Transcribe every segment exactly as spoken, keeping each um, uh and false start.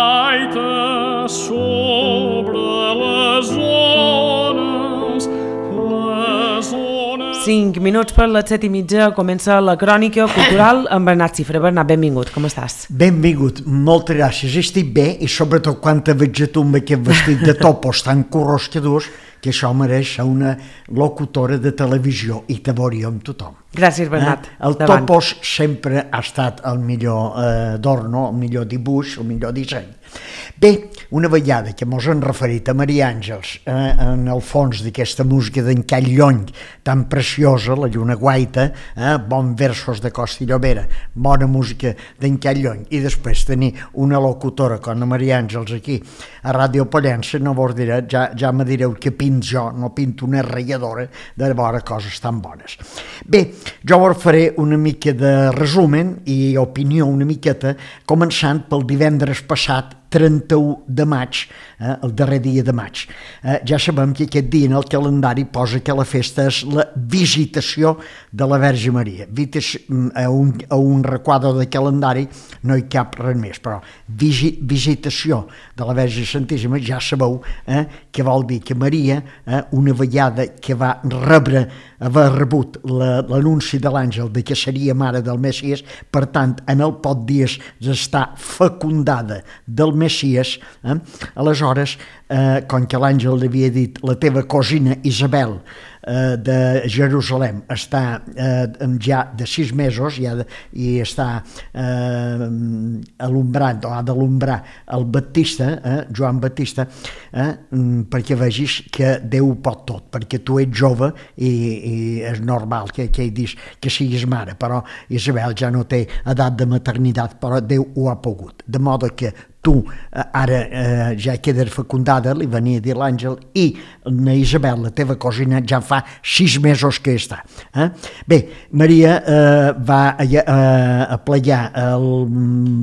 gaita sobre les ones, les ones... Cinc minuts per les set i mitja comença la crònica cultural amb Bernat Cifra. Bernat, benvingut, com estàs? Benvingut, moltes gràcies, estic bé i sobretot quan te veig a tu amb aquest vestit de topos tan corroscadors que això mereix ser una locutora de televisió i te veuríem tothom. Gràcies, Bernat. Eh? El Davant. topos sempre ha estat el millor eh, d'orno, el millor dibuix, el millor disseny. Bé, una vegada que mos hem referit a Maria Àngels eh, en el fons d'aquesta música d'en Call Llony tan preciosa, la Lluna Guaita, eh, bons versos de Costa i Llobera, bona música d'en Call Llony, i després tenir una locutora com la Maria Àngels aquí a Ràdio Pollença, no vos diré, ja, ja me direu que pinto jo, no pinto una ratlladora de veure coses tan bones. Bé, jo vos faré una mica de resumen i opinió una miqueta, començant pel divendres passat, trenta-u de maig, eh, el darrer dia de maig. Eh, ja sabem que aquest dia en el calendari posa que la festa és la visitació de la Verge Maria. Vites, a, un, a un requadre de calendari no hi cap res més, però visi, visitació de la Verge Santíssima ja sabeu eh, que vol dir que Maria, eh, una vegada que va rebre, haver rebut la, l'anunci de l'àngel de que seria mare del Messies, per tant, en el poc dies d'estar fecundada del Messies, eh? Aleshores, eh, com que l'àngel li havia dit la teva cosina Isabel eh, de Jerusalem està eh, ja de sis mesos i, ha de, i està eh, alumbrant o ha d'alumbrar el Baptista, eh, Joan Baptista, eh, perquè vegis que Déu pot tot, perquè tu ets jove i, i és normal que, que, dis, que siguis mare, però Isabel ja no té edat de maternitat, però Déu ho ha pogut, de modo que tu ara eh, ja quedes fecundada, li venia a dir l'àngel, i na Isabel, la teva cosina, ja fa sis mesos que està. Eh? Bé, Maria eh, va a, a, a plegar el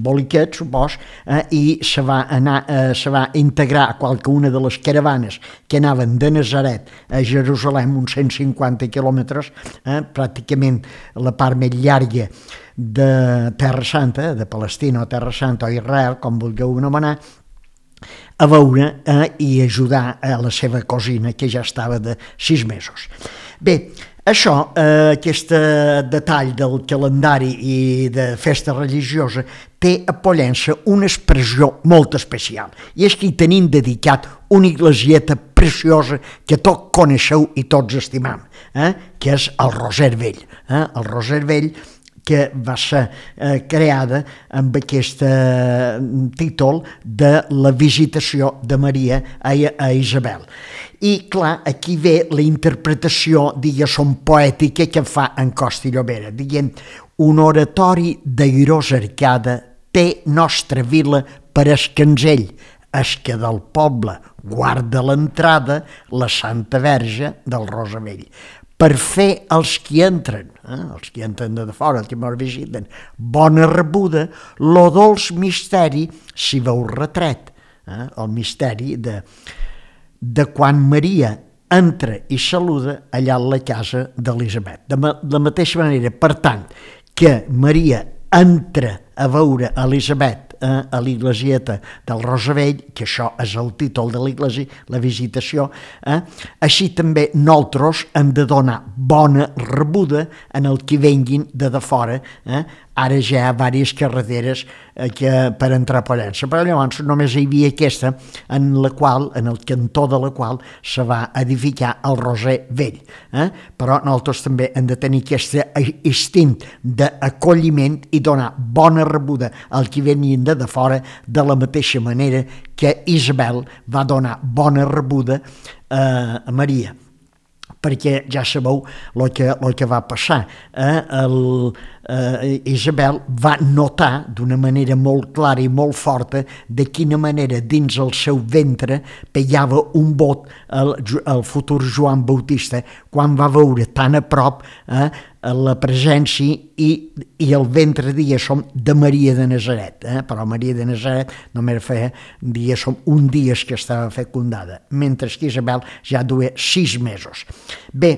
boliquet, supos, eh, i se va anar, eh, se va integrar a qualcuna de les caravanes que anaven de Nazaret a Jerusalem, uns cent cinquanta quilòmetres, eh, pràcticament la part més llarga de Terra Santa, de Palestina o Terra Santa o Israel, com vulgueu anomenar, a veure eh, i ajudar a la seva cosina que ja estava de sis mesos. Bé, això, eh, aquest detall del calendari i de festa religiosa té a Pollença una expressió molt especial, i és que hi tenim dedicat una iglesieta preciosa que tots coneixeu i tots estimam, eh, que és el Roser Vell. Eh, el Roser Vell que va ser eh, creada amb aquest eh, títol de la visitació de Maria a, a Isabel. I, clar, aquí ve la interpretació, diguéssim, poètica que fa en Costa i Llobera, dient un oratori d'airosa arcada té nostra vila per escanzell, es que del poble guarda l'entrada la Santa Verge del Rosavell. Per fer els qui entren, eh, els qui entren de fora, els que ens visiten, bona rebuda, lo dolç misteri si veu retret, eh, el misteri de, de quan Maria entra i saluda allà a la casa d'Elisabet. De ma, la mateixa manera, per tant, que Maria entra a veure Elisabet eh, a l'iglesieta del Rosavell, que això és el títol de l'iglesi, la visitació, eh, així també nosaltres hem de donar bona rebuda en el que venguin de de fora. Eh? Ara ja hi ha diverses carreteres eh, que, per entrar a Pollença, però llavors només hi havia aquesta en la qual, en el cantó de la qual se va edificar el Roser Vell. Eh? Però nosaltres també hem de tenir aquest instint d'acolliment i donar bona rebuda al que venien de de fora, de la mateixa manera que Isabel va donar bona rebuda eh, a Maria. Perquè ja sabeu el que, el que va passar. Eh? El, eh, Isabel va notar d'una manera molt clara i molt forta de quina manera dins el seu ventre pegava un bot el, el futur Joan Bautista quan va veure tan a prop eh, la presència i, i el ventre, diguéssim, de Maria de Nazaret. Eh? Però Maria de Nazaret només feia, diguéssim, un dia que estava fecundada, mentre que Isabel ja duia sis mesos. Bé,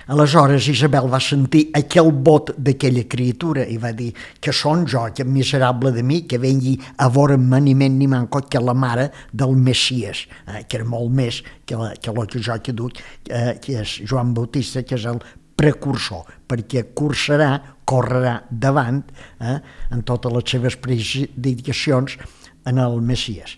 Aleshores Isabel va sentir aquell vot d'aquella criatura i va dir que són jo, que miserable de mi, que vengui a veure'm ni men ni manco que la mare del Messies, eh, que era molt més que, la, que el que jo que duc, eh, que és Joan Bautista, que és el precursor, perquè cursarà, correrà davant eh, en totes les seves predicacions en el Messies.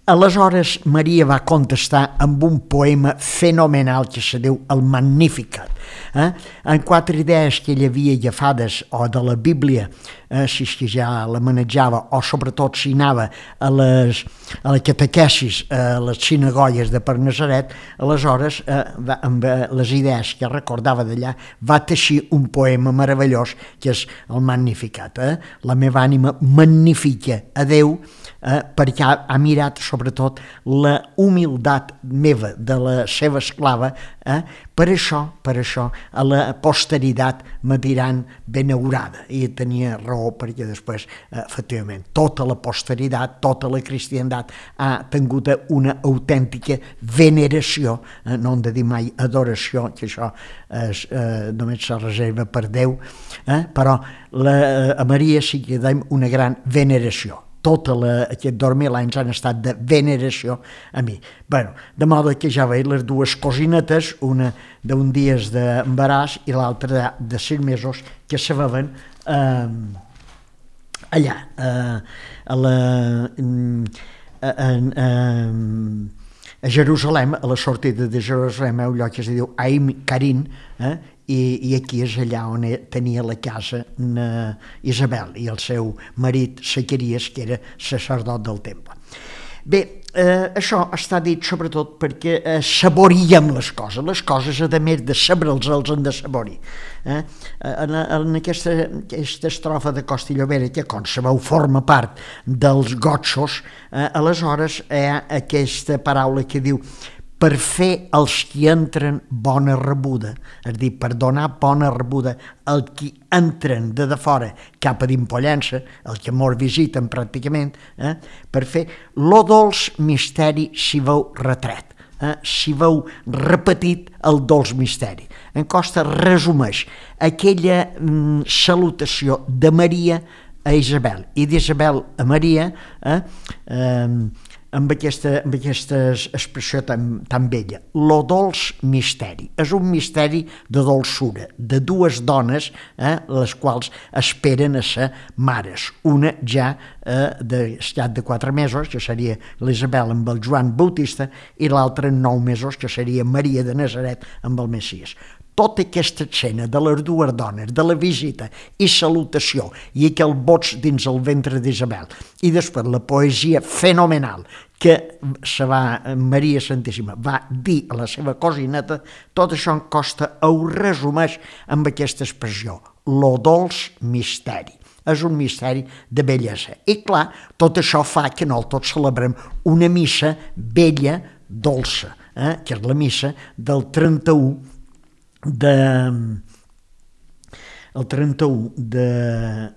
Aleshores, Maria va contestar amb un poema fenomenal que se diu el Magnificat. Eh? En quatre idees que ell havia agafades o de la Bíblia, eh, si és que ja la manejava, o sobretot si anava a les, a la catequesis, a les sinagogues de per Nazaret, aleshores, eh, va, amb les idees que recordava d'allà, va teixir un poema meravellós que és el Magnificat. Eh? La meva ànima magnifica a Déu, eh, perquè ha, ha mirat sobretot la humilitat meva de la seva esclava, eh? per això, per això a la posteritat me diran benaurada, i tenia raó perquè després, eh, efectivament, tota la posteritat, tota la cristiandat ha tingut una autèntica veneració, eh? no hem de dir mai adoració, que això és, eh, només se reserva per Déu, eh? però la, a Maria sí que dèiem una gran veneració. Tota la, aquests dos mil anys han estat de veneració a mi. Bueno, de modo que ja veig les dues cosinetes, una d'un dies d'embaràs i l'altra de, de sis mesos, que se veuen eh, allà, eh, a la... A, a, a, a Jerusalem, a la sortida de Jerusalem, un lloc que es diu Aim Karin, eh? I, i aquí és allà on tenia la casa na Isabel i el seu marit Zacaries, que era sacerdot del temple. Bé, eh, això està dit sobretot perquè eh, saboriem les coses. Les coses, a més de sabre'ls, els han de saborir. Eh? En, en aquesta, aquesta estrofa de Costa i Llobera, que, com sabeu, forma part dels gotxos, eh, aleshores hi ha aquesta paraula que diu per fer els qui entren bona rebuda, és a dir, per donar bona rebuda al qui entren de de fora cap a d'Impollença, el que mos visiten pràcticament, eh, per fer lo dolç misteri si veu retret, eh, si veu repetit el dolç misteri. En Costa resumeix aquella mm, salutació de Maria a Isabel i d'Isabel a Maria, eh, eh, amb aquesta, amb aquesta expressió tan, tan bella. Lo dolç misteri. És un misteri de dolçura, de dues dones, eh, les quals esperen a ser mares. Una ja eh, d'estat de quatre mesos, que seria l'Isabel amb el Joan Bautista, i l'altra en nou mesos, que seria Maria de Nazaret amb el Messies. Tota aquesta escena de les dues dones, de la visita i salutació i aquell boig dins el ventre d'Isabel, i després la poesia fenomenal que se va, Maria Santíssima va dir a la seva cosineta, tot això en Costa ho resumeix amb aquesta expressió, lo dolç misteri. És un misteri de bellesa. I clar, tot això fa que nosaltres celebrem una missa bella, dolça, eh? que és la missa del trenta-u de el trenta-u de,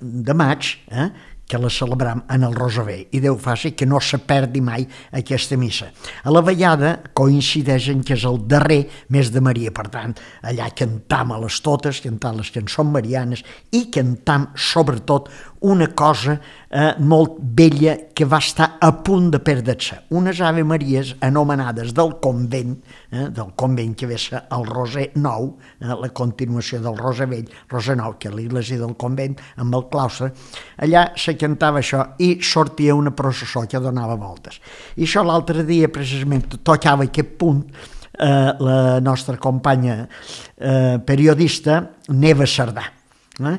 de maig, eh, que la celebram en el Rosaver, i Déu faci que no se perdi mai aquesta missa. A la vegada coincideix en que és el darrer mes de Maria, per tant, allà cantam a les totes, cantam les cançons marianes i cantam sobretot una cosa eh, molt bella que va estar a punt de perdre-se. Unes Ave Maries anomenades del convent, eh, del convent que ve a ser el Roser Nou, eh, la continuació del Roser Vell, Roser Nou, que és l'església del convent amb el claustre. Allà se cantava això i sortia una processó que donava voltes. I això l'altre dia precisament tocava aquest punt eh, la nostra companya eh, periodista Neva Cerdà, eh,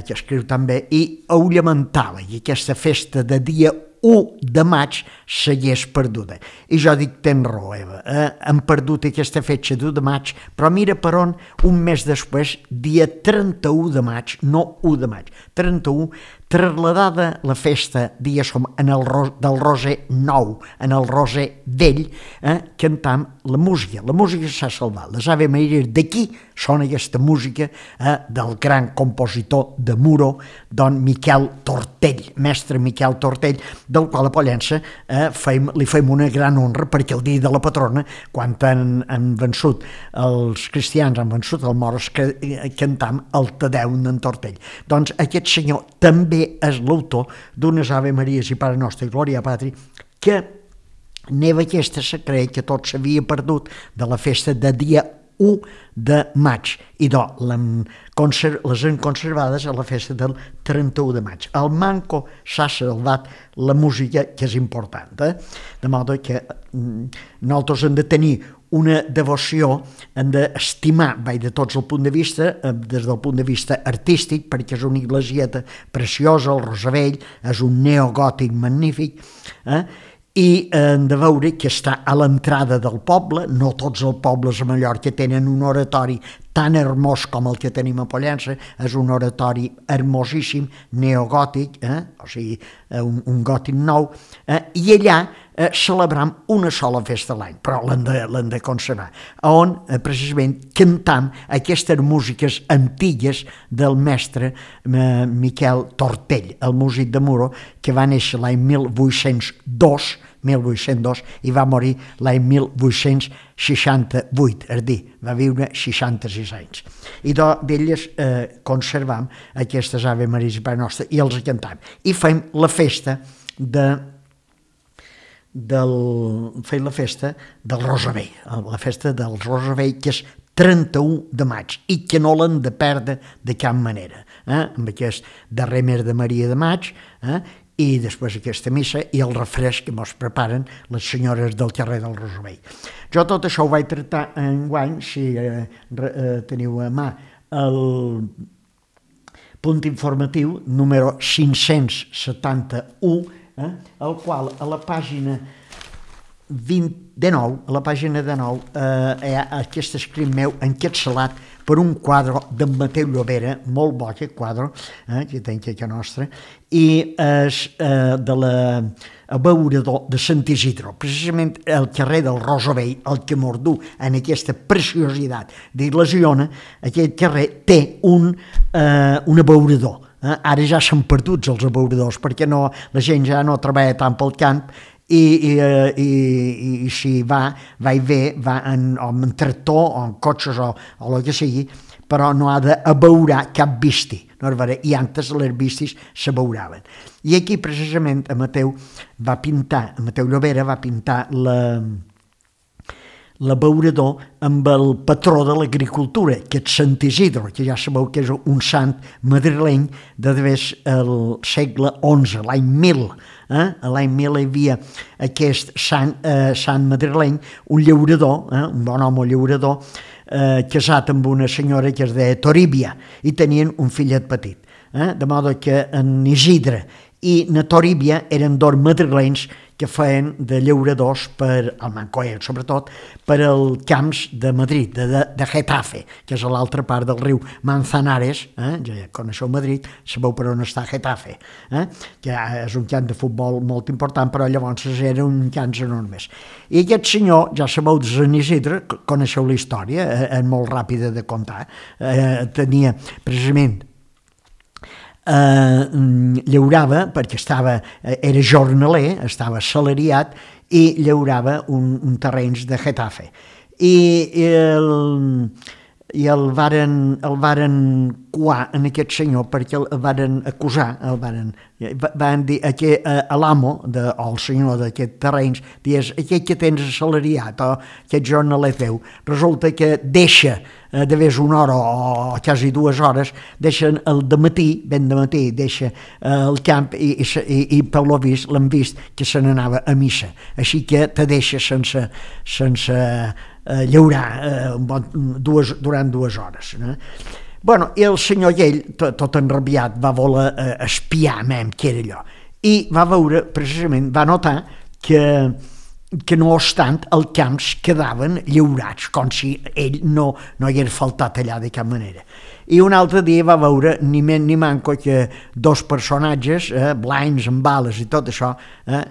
que escriu també, i ho lamentava, i aquesta festa de dia u de maig s'hagués perduda. I jo dic, tens raó, Eva, eh? hem perdut aquesta fetge d'u de maig, però mira per on, un mes després, dia trenta-u de maig, no u de maig, trenta-u, trasladada la festa, diguéssim, en el ro del Roser nou, en el Roser vell, eh, cantam la música. La música s'ha salvat. Les Ave Maries d'aquí són aquesta música eh, del gran compositor de Muro, don Miquel Tortell, mestre Miquel Tortell, del qual a Pollença eh, feim, li fem una gran honra, perquè el dia de la patrona, quan han, han vençut els cristians, han vençut els moros, que eh, cantam el Te Deum d'en Tortell. Doncs aquest senyor també és l'autor d'unes Ave Maries i Pare Nostre i Glòria Patri, que neva aquesta se creu que tot s'havia perdut de la festa de dia u de maig, i do, les han conservades a la festa del trenta-u de maig. Al manco s'ha salvat la música, que és important, eh? De modo que nosaltres hem de tenir una devoció, hem d'estimar, vaig de tots el punt de vista, des del punt de vista artístic, perquè és una iglesieta preciosa, el Rosavell, és un neogòtic magnífic, eh? I hem de veure que està a l'entrada del poble. No tots els pobles a Mallorca tenen un oratori tan hermós com el que tenim a Pollença, és un oratori hermosíssim, neogòtic, eh? O sigui, un, un gòtic nou, eh? I allà eh, celebram una sola festa a l'any, però l'hem de, l'hem de conservar, on eh, precisament cantam aquestes músiques antigues del mestre eh, Miquel Tortell, el músic de Muro, que va néixer l'any mil vuit-cents dos, mil vuit-cents dos, i va morir l'any mil vuit-cents seixanta-vuit, és a dir, va viure seixanta-sis anys. I d'elles eh, conservam aquestes Ave Maries i Pare Nostre i els cantam. I fem la festa de del, fem la festa del Rosavell, la festa del Rosavell, que és trenta-u de maig, i que no l'han de perdre de cap manera, eh? Amb aquest darrer mes de Maria de maig, eh? I després aquesta missa i el refresc que mos preparen les senyores del carrer del Rosavell. Jo tot això ho vaig tractar enguany, si eh, eh, teniu a mà el punt informatiu número cinc-cents setanta-u, eh, el qual a la pàgina vint de nou, a la pàgina de nou, eh, hi ha aquest escrit meu encapçalat per un quadre d'en Mateu Llobera, molt bo aquest quadre, eh, que tenc aquí a nostra, i és eh, de l'abeurador de Sant Isidro, precisament el carrer del Rosavell, el que mordú en aquesta preciositat d'Iglesiona, aquest carrer té un, eh, un abeurador. Eh? Ara ja s'han perdut els abeuradors, perquè no, la gent ja no treballa tant pel camp, i, i, i, i, i si va, va i ve, va en, o en tractor o en cotxes o, o el que sigui, però no ha d'abeurar cap visti, no és vera? I antes les vistis s'abeuraven. I aquí precisament a Mateu va pintar, a Mateu Llobera va pintar la l'abeurador amb el patró de l'agricultura, que és Sant Isidro, que ja sabeu que és un sant madrileny de devés el segle onze, l'any mil. Eh? A l'any mil hi havia aquest sant, eh, sant madrileny, un llaurador, eh? un bon home llaurador, eh, casat amb una senyora que es deia Toribia, i tenien un fillet petit. Eh? De modo que en Isidre i na Toribia eren dos madrilenys que feien de llauradors per al Mancoel, sobretot per als camps de Madrid, de, de, de Getafe, que és a l'altra part del riu Manzanares, eh? Ja coneixeu Madrid, sabeu per on està Getafe, eh? Que és un camp de futbol molt important, però llavors era un camp enormes. I aquest senyor, ja sabeu de Sant Isidre, coneixeu la història, eh? És molt ràpida de contar, eh? Tenia precisament Uh, llaurava, perquè estava, era jornaler, estava assalariat, i llaurava un, un terrenys de Getafe. I, i, el, i el varen, el varen coar en aquest senyor, perquè el varen acusar, el varen, van dir a, a l'amo, o el senyor d'aquest terrenys, dius, aquest que tens assalariat, o aquest jornaler teu, resulta que deixa de vés una hora o quasi dues hores, deixen el dematí, ben de matí, deixa el camp i, i, i per lo vist l'han vist que se n'anava a missa. Així que te deixa sense, sense eh, llaurar eh, dues, durant dues hores. No? Bueno, i el senyor ell, tot, tot enrabiat, va voler eh, espiar mem què era allò. I va veure, precisament, va notar que que no obstant els camps quedaven lliurats, com si ell no, no hi hagués faltat allà de cap manera. I un altre dia va veure ni més ni manco que dos personatges, eh, blancs amb bales i tot això, eh,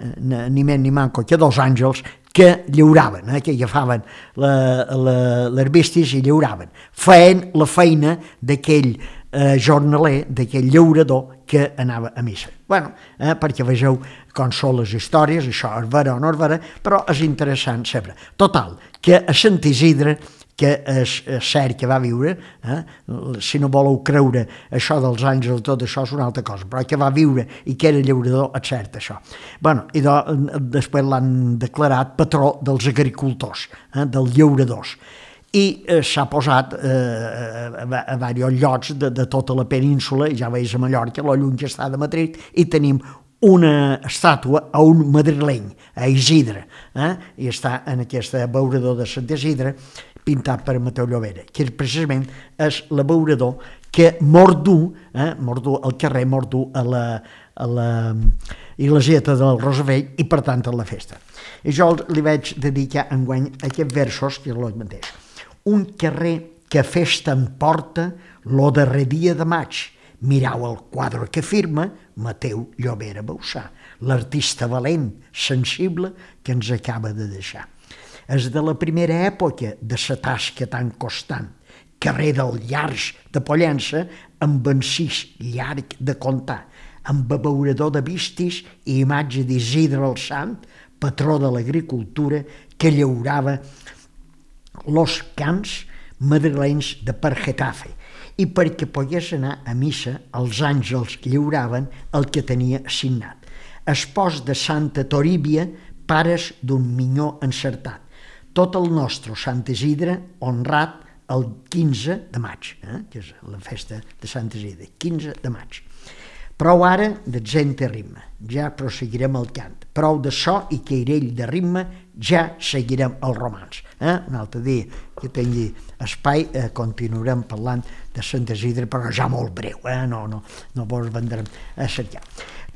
ni més ni manco que dos àngels que lliuraven, eh, que agafaven les vistes i lliuraven, feien la feina d'aquell eh, jornaler, d'aquell llaurador que anava a missa. Bueno, eh, perquè vegeu com són les històries, això és vera o no és vera, però és interessant saber. Total, que a Sant Isidre, que és, és cert que va viure, eh, si no voleu creure això dels àngels, tot això és una altra cosa, però que va viure i que era llaurador, és cert això. Bueno, i do, després l'han declarat patró dels agricultors, eh, dels llauradors. I eh, s'ha posat eh, a, a diversos llocs de, de tota la península, ja veus a Mallorca, lo lluny que està de Madrid, i tenim una estàtua a un madrileny, a Isidre, eh? I està en aquest abeurador de Sant Isidre, pintat per Mateu Llobera, que precisament és l'abeurador que Mordú, eh? Mordú, el carrer Mordú, a la, a la iglesieta del Rosavell, i per tant a la festa. I jo li vaig dedicar enguany aquests versos, que és el mateix. Un carrer que festa en porta lo darrer dia de maig. Mirau el quadre que firma Mateu Llobera Bausà, l'artista valent, sensible, que ens acaba de deixar. És de la primera època de sa tasca tan constant, carrer del Llarg de Pollença, amb encís llarg de contar, amb abeurador de vistis i imatge d'Isidre el Sant, patró de l'agricultura, que llaurava los camps madrilenys de per Getafe, i perquè pogués anar a missa els àngels lliuraven el que tenia assignat. Espòs de Santa Toribia, pares d'un minyó encertat. Tot el nostre Sant Isidre honrat el quinze de maig, eh? Que és la festa de Sant Isidre, quinze de maig. Prou ara de gent de ritme, ja proseguirem el cant. Prou de so i cairell de ritme, ja seguirem el romanç. Eh? Un altre dia que tingui espai eh, continuarem parlant de Sant Isidre, però ja molt breu, eh? no, no, no vos vendrem a cercar.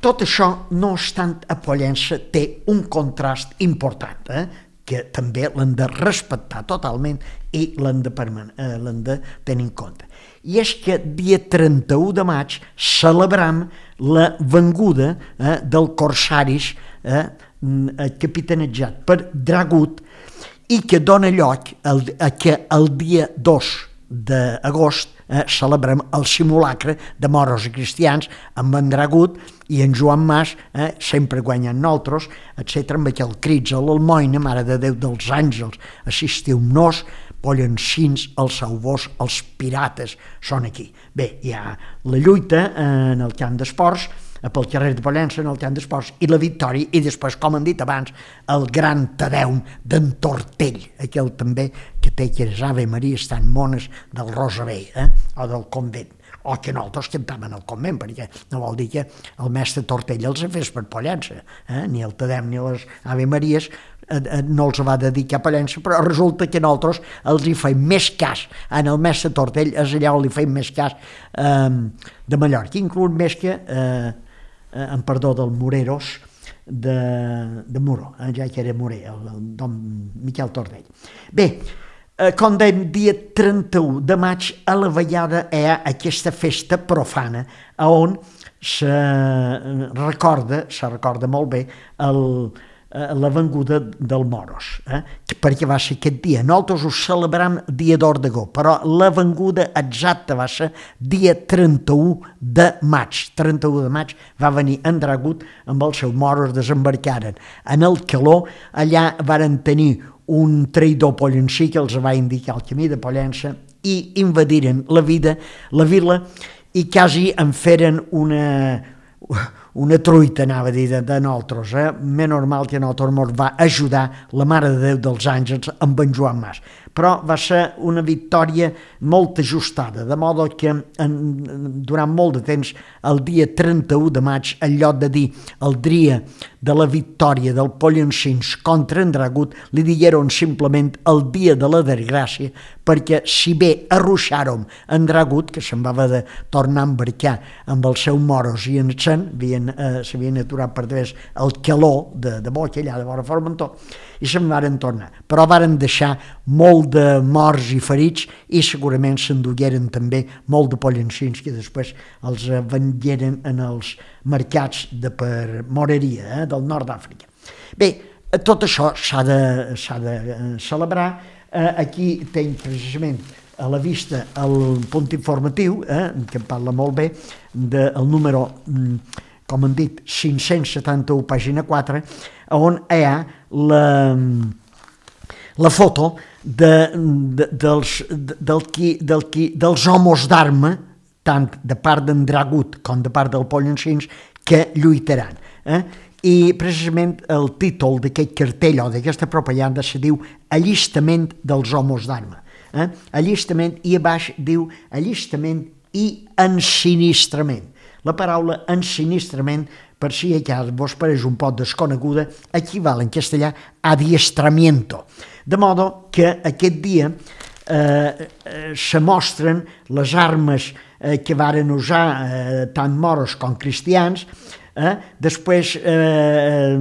Tot això, no obstant, a Pollença té un contrast important, eh? que també l'hem de respectar totalment i l'hem de, eh, l'hem de tenir en compte. I és que dia trenta-u de maig celebrem la venguda eh, del Corsaris eh, capitanejat per Dragut i que dona lloc el, a que el dia dos d'agost eh, celebrem el simulacre de moros i cristians amb en Dragut i en Joan Mas, eh, sempre guanyant nosaltres, etcètera, amb aquell crits a l'Almoina, Mare de Déu dels Àngels, assistiu-nos, pollencins, els sauvors, els pirates, són aquí. Bé, hi ha la lluita en el camp d'esports, pel carrer de Pollença, en el camp d'esports, i la victòria, i després, com hem dit abans, el gran Tadeum d'en Tortell, aquell també que té que les Ave Maria estan mones del Rosavell, eh? o del convent, o que nosaltres cantaven al convent, perquè no vol dir que el mestre Tortell els ha fet per Pollença, eh? ni el Tadeum ni les Ave Maries no els va dedicar a Pollença, però resulta que nosaltres els hi feim més cas en el mestre Tortell, és allà on li feim més cas eh, de Mallorca, inclús més que eh, en perdó del Moreros de, de Muro, eh, ja que era Morer, el, el don Miquel Tortell. Bé, eh, com dèiem, dia trenta-u de maig a la Vallada hi ha aquesta festa profana on se recorda, se recorda molt bé el la venguda del Moros, eh? perquè va ser aquest dia. Nosaltres ho celebrem dia d'Hort d'Agó, però la venguda exacta va ser dia trenta-u de maig. trenta-u de maig va venir en Dragut amb els seus moros, desembarcaren en el Caló, allà varen tenir un traïdor pollencí que els va indicar el camí de Pollença i invadiren la vida, la vila, i quasi en feren una una truita, anava a dir, de, de nosaltres. Eh? Més normal que a nosaltres ens va ajudar la Mare de Déu dels Àngels amb en Joan Mas. Però va ser una victòria molt ajustada, de modo que en, durant molt de temps, el dia trenta-u de maig, en lloc de dir el dia de la victòria del Pollencins contra en Dragut, li digueren simplement el dia de la desgràcia, perquè si bé arruixàrem en Dragut, que se'n va haver de tornar a embarcar amb els seus moros i en Sen, havien eh, s'havien aturat per través el calor de, de Boca, allà de vora Formentor, i se'n varen tornar. Però varen deixar molt de morts i ferits i segurament s'endugueren també molt de pollancins que després els vengueren en els mercats de per moreria, eh, del nord d'Àfrica. Bé, tot això s'ha de, s'ha de celebrar. Eh, aquí tenc precisament a la vista el punt informatiu, eh, que parla molt bé, del número, com han dit, cinc-cents setanta-u, pàgina quatre, on hi ha la, la foto de, de, dels, de, del qui, del qui, dels homes d'arma, tant de part d'en Dragut com de part del Pollancins, que lluitaran. Eh? I precisament el títol d'aquest cartell o d'aquesta propaganda se diu Allistament dels homes d'arma. Eh? Allistament, i a baix diu allistament i ensinistrament. La paraula ensinistrament, per si encara vos pareix un poc desconeguda, equival en castellà a adiestramiento. De modo que aquest dia eh, eh, se mostren les armes eh, que varen usar eh, tant moros com cristians, eh? Després eh,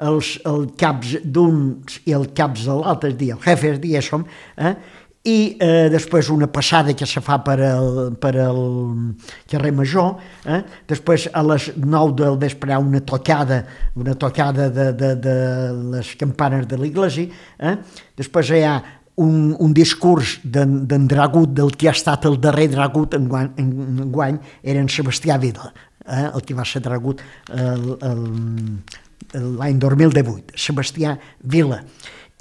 els, el caps d'uns i el caps de l'altre dia, el jefes diguéssim, eh? I eh, després una passada que se fa per el, per el carrer Major, eh? Després a les nou del vespre una tocada, una tocada de, de, de les campanes de l'església, eh? Després hi ha un, un discurs d'en Dragut, del que ha estat el darrer Dragut en guany, en guany era en Sebastià Vila, eh? El que va ser Dragut l'any dos mil divuit, Sebastià Vila,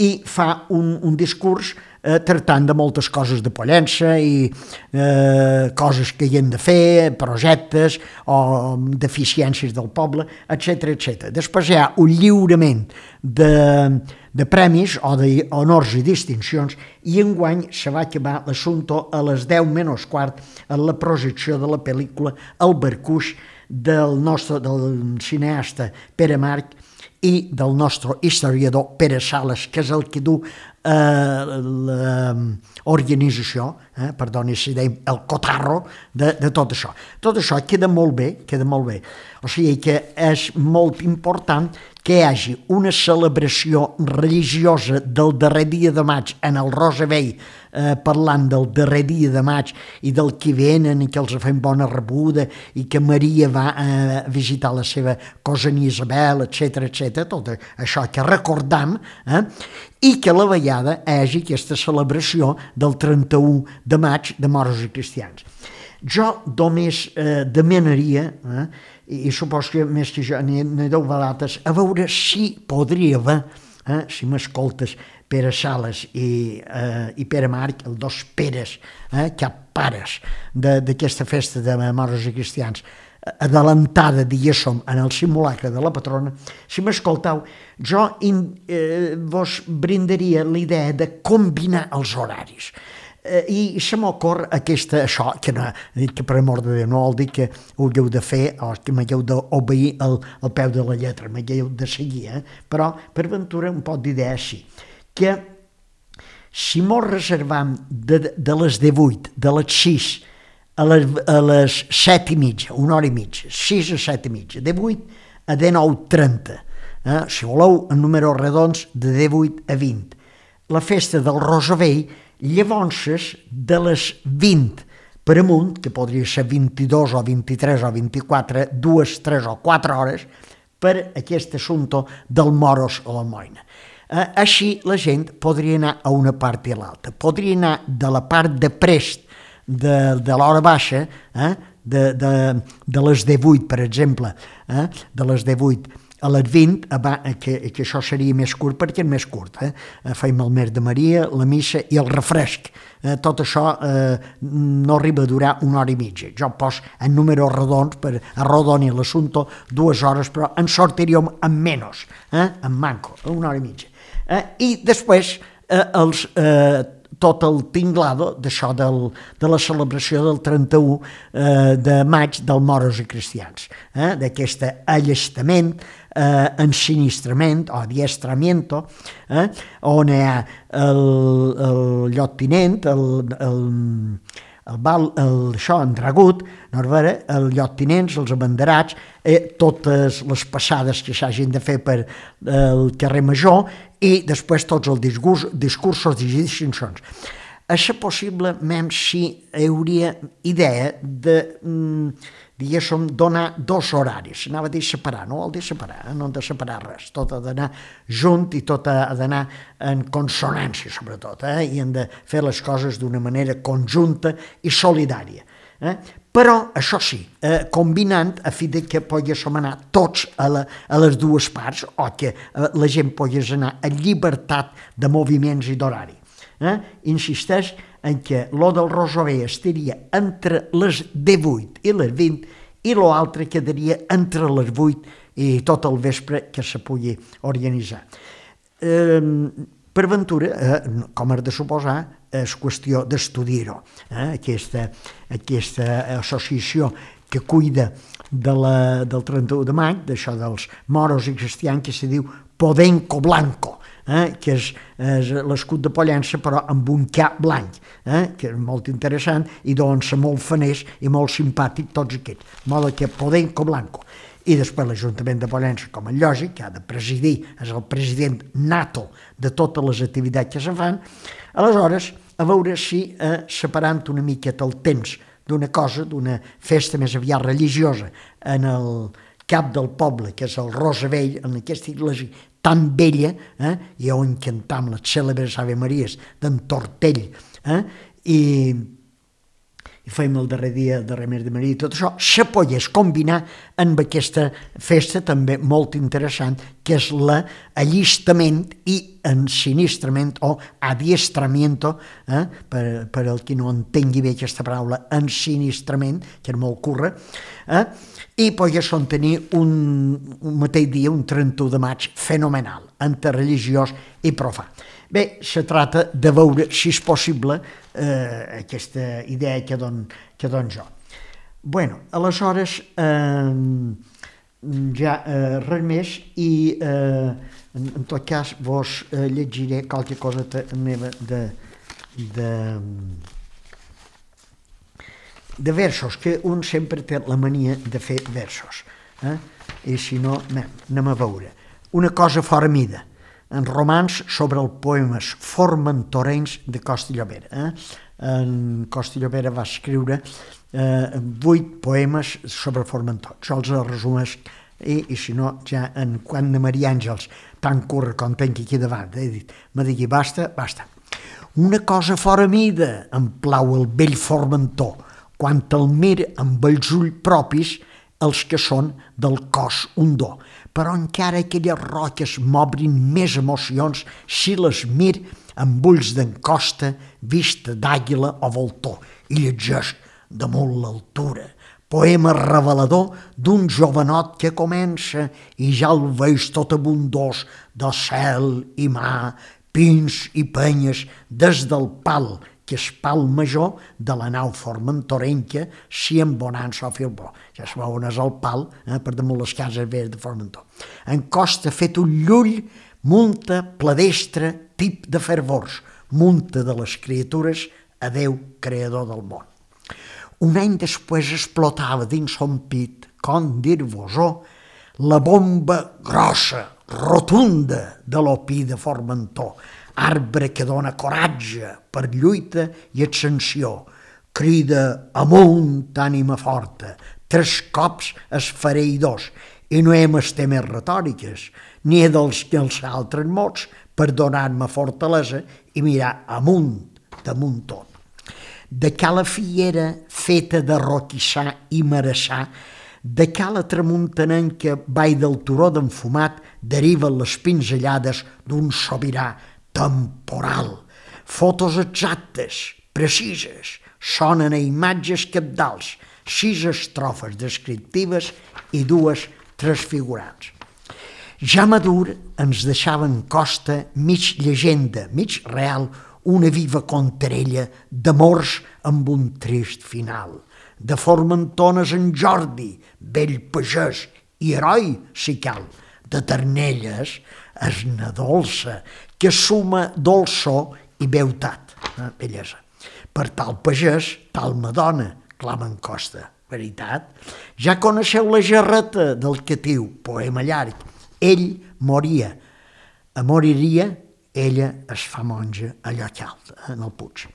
i fa un, un discurs Eh, tractant de moltes coses de Pollença i eh, coses que hi hem de fer, projectes o deficiències del poble, etcètera, etcètera. Després hi ha un lliurament de, de premis o d'honors i distincions i enguany se va acabar l'assumpte a les deu menys quart en la projecció de la pel·lícula El Barcuix del nostre del cineasta Pere March i del nostre historiador Pere Sales, que és el que du eh, l'organització, eh, perdoni si deim el cotarro de, de tot això. Tot això queda molt bé, queda molt bé. O sigui que és molt important que hi hagi una celebració religiosa del darrer dia de maig en el Rosavell, eh, parlant del darrer dia de maig i del que venen i que els fem bona rebuda i que Maria va eh, visitar la seva cosina Isabel, etcètera, etcètera, tot això que recordam, eh, i que a la vegada hi hagi aquesta celebració del trenta-u de maig de moros i cristians. Jo només eh, demanaria, eh, i, i supos que més que jo n'hi deu vegades, a veure si podria haver, eh, si m'escoltes, Pere Sales i, eh, i Pere March, els dos Peres, eh, cap pares d'aquesta festa de moros i cristians, adelantada, diguéssim, en el simulacre de la patrona, si m'escoltau, jo in, eh, vos brindaria la idea de combinar els horaris. Eh, i se m'ocorre aquesta, això, que, no, que per amor de Déu no vol dir que ho hagueu de fer o que m'hagueu d'obeir al, al peu de la lletra, m'hagueu de seguir, eh? Però per ventura un pot d'idea així, que si mos reservam de, de les divuit, de les sis a les, a les set i mitja, una hora i mitja, sis a set i mitja, de vuit a dinou trenta, eh? Si voleu en números redons, de divuit a vint. La festa del Rosavell, llavors de les vint per amunt, que podria ser vint-i-dos o vint-i-tres o vint-i-quatre, dues, tres o quatre hores, per aquest assumpte del moros o la moina. Eh, així la gent podria anar a una part i a l'altra. Podria anar de la part de prest de, de l'hora baixa, eh, de, de, de les divuit, per exemple, eh, de les divuit a les vint, que, que això seria més curt perquè és més curt. Eh? Feim el Mer de Maria, la missa i el refresc. Eh, tot això eh, no arriba a durar una hora i mitja. Jo poso en números redons per arrodonir l'assumpte dues hores, però en sortiríem amb menys, eh? En manco, una hora i mitja. Eh? I després eh, els... Eh, tot el tinglado d'això de la celebració del trenta-u eh, de maig del moros i cristians, eh, d'aquest allestament, eh, ensinistrament o adiestramiento, eh, on hi ha el, el lloctinent, el, el, el bal, el, això, endragut, no veure, els lloctinents, els abanderats, eh, totes les passades que s'hagin de fer per el carrer Major i després tots els discurs, discursos i distincions. A ser possible, mem, si hi hauria idea de, mm, diguéssim, donar dos horaris. Anava a dir separar, no vol dir separar, eh? No hem de separar res. Tot ha d'anar junt i tot ha d'anar en consonància, sobretot, eh? I hem de fer les coses d'una manera conjunta i solidària. Eh? Però, això sí, eh, combinant a fi de que poguéssim anar tots a, la, a les dues parts o que eh, la gent pogués anar a llibertat de moviments i d'horari. Eh? Insisteix en que lo del Rosober estaria entre les divuit i les vint i l'altre quedaria entre les vuit i tot el vespre que se pugui organitzar. Eh, per ventura, eh, com has de suposar, és qüestió d'estudiar-ho. Eh? Aquesta, aquesta associació que cuida de la, del trenta-u de maig, d'això dels moros i cristians, que se diu Podenco Blanco, eh? Que és, és l'escut de Pollença però amb un cap blanc, eh? Que és molt interessant i d'on ser molt faners i molt simpàtic tots aquests, de modo que Podenco Blanco. I després l'Ajuntament de Pollença, com és lògic, que ha de presidir, és el president nato de totes les activitats que se fan. Aleshores, a veure si eh, separant una miqueta el temps d'una cosa, d'una festa més aviat religiosa en el cap del poble, que és el Rosavell, en aquesta iglesia tan vella, eh, i on cantam les cèlebres Ave Maries d'en Tortell, eh, i, i fem el darrer dia de Remer de Maria i tot això, se pogués combinar amb aquesta festa també molt interessant, que és l'allistament i ensinistrament o adiestramiento, eh, per, per el qui no entengui bé aquesta paraula, ensinistrament, que és molt curra, eh, i poguéssim tenir un, un mateix dia, un trenta-u de maig, fenomenal, interreligiós i profà. Bé, se trata de veure, si és possible, eh, aquesta idea que don, que don jo. Bueno, aleshores, eh, ja eh, res més i eh, en, en tot cas vos eh, llegiré qualque cosa meva de, de, de versos, que un sempre té la mania de fer versos, eh? I si no, anem a veure. Una cosa fora mida, en romans sobre els poemes formentorencs de Costa i Llobera. Eh? En Costa i Llobera va escriure eh, vuit poemes sobre Formentor. Jo els resumeix i, i si no, ja en quan de Maria Àngels, tan curra com tenc aquí davant, he dit, me digui, basta, basta. Una cosa fora mida em plau el vell Formentor, quan el mir amb els ulls propis els que són del cos un do. Però encara aquelles roques m'obrin més emocions si les mir amb ulls d'encosta, vista d'àguila o voltor, i llegeix damunt l'altura. Poema revelador d'un jovenot que comença i ja el veig tot abundós de cel i mar, pins i penyes des del pal, que és pal major de la nau formentorenca, si en bonança o filbó. Ja es veu on és el pal, eh, per damunt les cases veres de Formentor. En costa fet un llull, munta pladestre, tip de fervors, munta de les criatures a Déu creador del món. Un any després explotava dins son pit, com dir-vos-ho, la bomba grossa, rotunda de l'opí de Formentor, arbre que dona coratge per lluita i ascensió, crida amunt, ànima forta, tres cops es fereïdors, i no hem esté més retòriques, ni he dels que els altres mots per donar-me fortalesa i mirar amunt, damunt tot. De cala fiera feta de roquissar i marassar, de cala tramuntanenca vall del turó d'enfumat deriven les pinzellades d'un sobirà temporal. Fotos exactes, precises, sonen a imatges capdals, sis estrofes descriptives i dues transfigurants. Ja madur ens deixava en costa mig llegenda, mig real, una viva contrella d'amors amb un trist final. De Formentones en Jordi, vell pagès i heroi, si cal. De Ternelles, esna dolça, que suma dolçor i beutat, eh, bellesa. Per tal pagès, tal madona, clama en Costa. Veritat? Ja coneixeu la gerreta del catiu, poema llarg. Ell moria, moriria, ella es fa monja a Llocalt, en el Puig.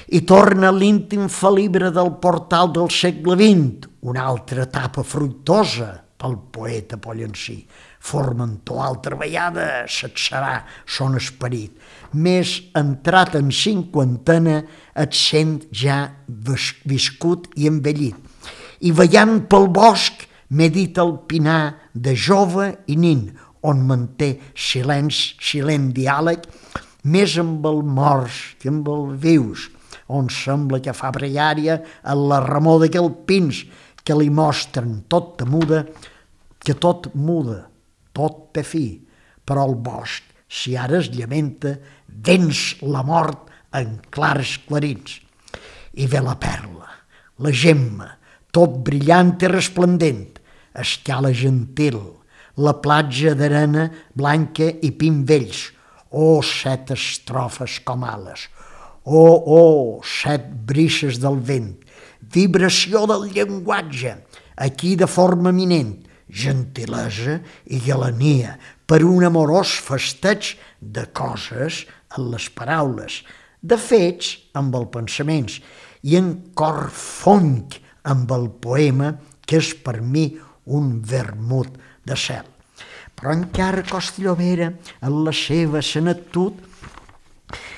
I torna l'íntim felibre del portal del segle vint, una altra etapa fruitosa pel poeta pollencí. Formentor, altra vegada s'atzarà son esperit. Més entrat en cinquantena et sent ja viscut i envellit. I veient pel bosc medita el pinar de jove i nin, on manté silenci, silent diàleg, més amb el morts que amb el vius, on sembla que fa pregària en la remor d'aquell pins que li mostren tot temuda, que tot muda, tot té fi, però el bosc, si ara es llamenta, venç la mort en clars clarins. I ve la perla, la gemma, tot brillant i resplendent, escala gentil, la platja d'arena blanca i pin vells, oh, set estrofes com ales, oh, oh, set brises del vent, vibració del llenguatge, aquí de forma eminent, gentilesa i galania, per un amorós festeig de coses en les paraules, de fets amb els pensaments, i en cor fonc amb el poema, que és per mi un vermut de cel. Però encara Costa i Llobera, en la seva senectut,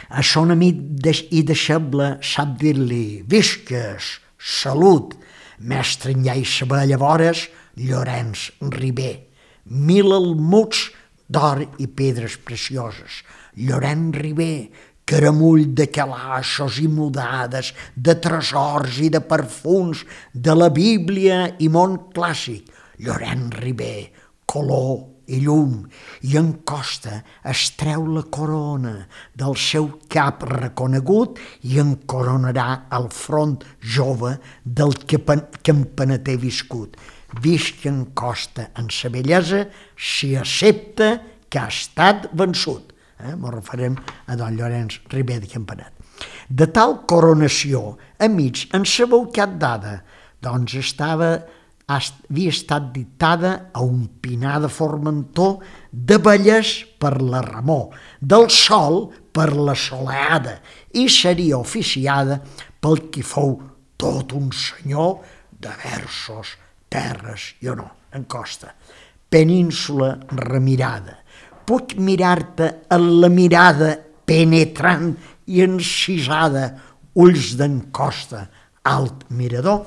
a son amic i deixeble sap dir-li visques, salut, mestre en llai saber llavors, Llorenç Ribé, mil almuds d'or i pedres precioses. Llorenç Ribé, caramull de calaixos i mudades, de tresors i de perfums, de la Bíblia i món clàssic. Llorenç Ribé, color i llum, i en Costa es treu la corona del seu cap reconegut i en coronarà el front jove del que campaneter viscut. Visc en Costa en sa bellesa si accepta que ha estat vençut. Eh? M'ho referem a don Llorenç Ribé de Campanet. De tal coronació, a mig en sabeu cap dada, doncs estava, havia estat dictada a un pinar de Formentor, de Vallès per la remor, del sol per la soleada, i seria oficiada pel qui fou tot un senyor de versos, terres i honor, en Costa. Península remirada. Puc mirar-te en la mirada penetrant i encisada, ulls d'en Costa, alt mirador.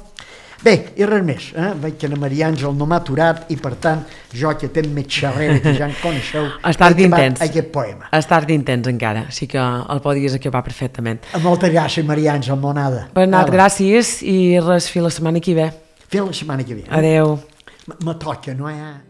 Bé, i res més, eh? Veig que la Maria Àngel no m'ha aturat i, per tant, jo que tenc més xerrera que ja en coneixeu, Estàs d'intens. Aquest poema. Estàs d'intens encara, sí que el podies acabar perfectament. Moltes gràcies, Maria Àngel, monada. Bernat, gràcies, i res, fins la setmana que ve. Fins la setmana que ve. Adeu. Me toca, no hi ha...